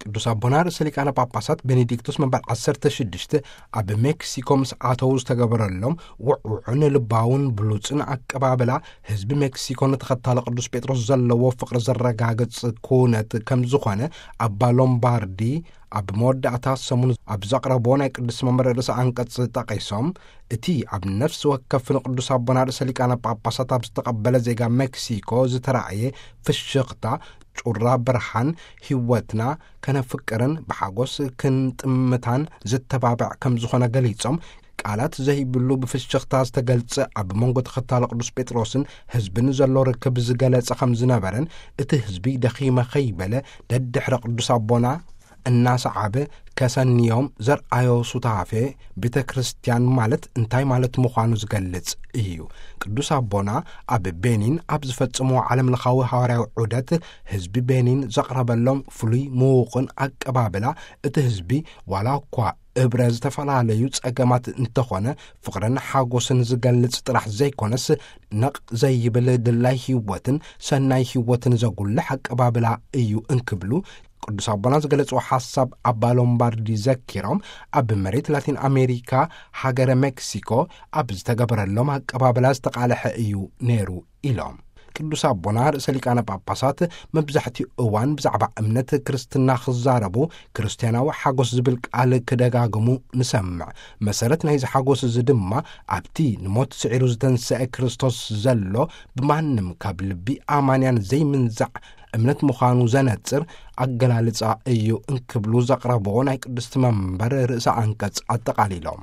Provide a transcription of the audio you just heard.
ቅዱስ ኣቦና ርእሰ ሊቃነ ጳጳሳት ቤኔዲክቶስ መንበር ዓሰርተ ሽዱሽተ ኣብ ሜክሲኮ ምስ ኣተዉ ዝተገበረሎም ውዕውዕን ልባውን ብሉጽን ኣቀባብላ፣ ህዝቢ ሜክሲኮ ንተኸታሊ ቅዱስ ጴጥሮስ ዘለዎ ፍቕሪ ዘረጋግጽ ኩነት ከም ዝኾነ ኣባ ሎምባርዲ ኣብ መወዳእታ ሰሙን ኣብ ዘቕረቦ ናይ ቅዱስ መንበር ርእሰ ኣንቀጽ ጠቒሶም፣ እቲ ኣብ ነፍሲ ወከፍ ንቅዱስ ኣቦና ርእሰ ሊቃነ ጳጳሳት ኣብ ዝተቐበለ ዜጋ ሜክሲኮ ዝተራእየ ፍሽኽታ፣ ጩራ ብርሃን ህይወትና ከነፍቅርን ብሓጎስ ክንጥምታን ዝተባብዕ ከም ዝኾነ ገሊጾም፣ ቃላት ዘይብሉ ብፍሽኽታ ዝተገልጸ ኣብ መንጎ ተኸታሊ ቅዱስ ጴጥሮስን ህዝብን ዘሎ ርክብ ዝገለጸ ከም ዝነበረን፣ እቲ ህዝቢ ደኺመ ከይበለ ደድሕሪ ቅዱስ ኣቦና እናሰዓበ ከሰንዮም ዘርኣዮ ሱታፌ ቤተ ክርስቲያን ማለት እንታይ ማለት ምዃኑ ዝገልጽ እዩ። ቅዱስ ኣቦና ኣብ ቤኒን ኣብ ዝፈጽምዎ ዓለም ለኻዊ ሃዋርያዊ ዑደት ህዝቢ ቤኒን ዘቕረበሎም ፍሉይ ምዉቕን ኣቀባብላ፣ እቲ ህዝቢ ዋላ እኳ እብረ ዝተፈላለዩ ጸገማት እንተኾነ ፍቕርን ሓጎስን ዝገልጽ ጥራሕ ዘይኮነስ፣ ነቕ ዘይብል ድላይ ህይወትን ሰናይ ህይወትን ዘጉልሕ ኣቀባብላ እዩ እንክብሉ ቅዱስ ኣቦና ዝገለጽዎ ሓሳብ ኣባ ሎምባርዲ ዘኪሮም፣ ኣብ መሬት ላቲን ኣሜሪካ ሃገረ ሜክሲኮ ኣብ ዝተገበረሎም ኣቀባብላ ዝተቓልሐ እዩ ነይሩ ኢሎም። ቅዱስ ኣቦና ርእሰ ሊቃነ ጳጳሳት መብዛሕትኡ እዋን ብዛዕባ እምነት ክርስትና ክዛረቡ፣ ክርስትያናዊ ሓጎስ ዝብል ቃል ክደጋግሙ ንሰምዕ። መሰረት ናይዚ ሓጎስ እዚ ድማ ኣብቲ ንሞት ስዒሩ ዝተንስአ ክርስቶስ ዘሎ፣ ብማንም ካብ ልቢ ኣማንያን ዘይምንዛዕ እምነት ምዃኑ ዘነጽር ኣገላልጻ እዩ እንክብሉ ዘቕረብዎ ናይ ቅድስቲ መንበር ርእሰ ኣንቀጽ ኣጠቓሊሎም።